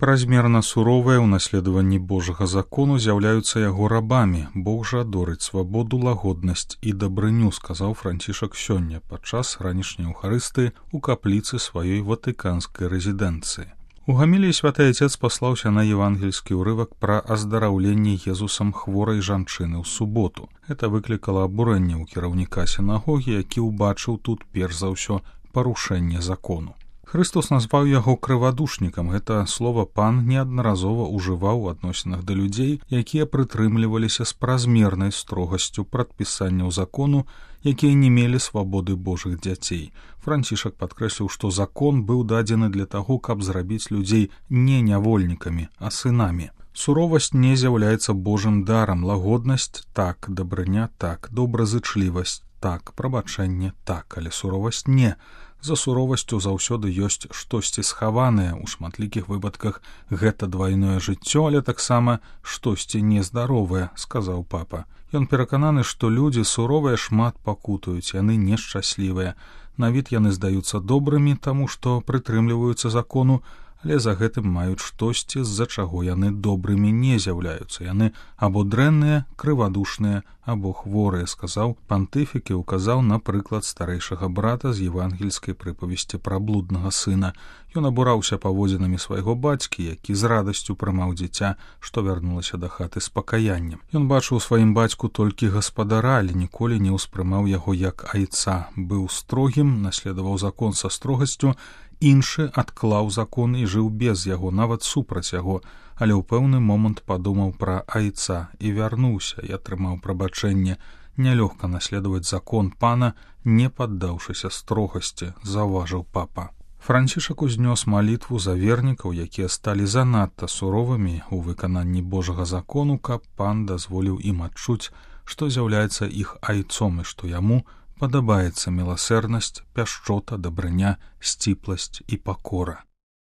Празмерна суровыя ў наследаванні Божага закону з'яўляюцца яго рабамі. Бог жа адорыць свабоду, лагоднасць і дабрыню, сказаў Францішак сёння падчас ранішняй эўхарыстыі ў капліцы сваёй ватыканскай рэзідэнцыі. У гаміліі святы Отец паслаўся на евангельскі ўрывак пра аздараўленне Езусам хворай жанчыны ў суботу. Гэта выклікала абурэнне ў кіраўніка сінагогі, які ўбачыў тут перш за ўсё парушэнне закону. Христос назваў яго крывадушнікам. Гэта слова пан неаднаразова ўжываў у адносінах да людзей, якія прытрымліваліся з празмернай строгасцю прадпісанняў закону, якія не мелі свабоды Божых дзяцей. Францішак падкрэсліў, што закон быў дадзены для таго, каб зрабіць людзей не нявольнікамі, а сынамі. Суровасць не з'яўляецца Божым дарам, лагоднасць так, дабрыня так, добразычлівасць так, прабачэнне так, але суровасць не. За суровасцю заўсёды ёсць штосьці схаванае, у шматлікіх выпадках гэта двайное жыццё, але таксама штосьці нездаровае, сказаў папа. Ён перакананы, што людзі суровыя шмат пакутаюць, яны нешчаслівыя. На від яны здаюцца добрымі, таму што прытрымліваюцца закону, але за гэтым маюць штосьці, з-за чаго яны добрымі не з'яўляюцца. Яны або дрэнныя, крывадушныя, або хворыя, сказаў пантыфік і ўказаў на прыклад старэйшага брата з евангельскай прыпавесці пра блуднага сына. Ён абураўся паводзінамі свайго бацькі, які з радасцю прымаў дзіця, што вярнулася да хаты з пакаяннем. Ён бачыў сваім бацьку толькі гаспадара, але ніколі не ўспрымаў яго як айца. Быў строгім, наследаваў закон са строгасцю, іншы адклаў закон і жыў без яго, нават супраць яго, але ў пэўны момант падумаў пра айца і вярнуўся і атрымаў прабачэнне. Нялёгка наследаваць закон пана, не паддаўшыся строгасці, заўважыў папа. Францішак узнёс малітву за вернікаў, якія сталі занадта суровымі ў выкананні Божага закону, каб пан дазволіў ім адчуць, што з'яўляецца іх айцом і што яму падабаецца міласэрнасць, пяшчота, дабрыня, сціпласць і пакора.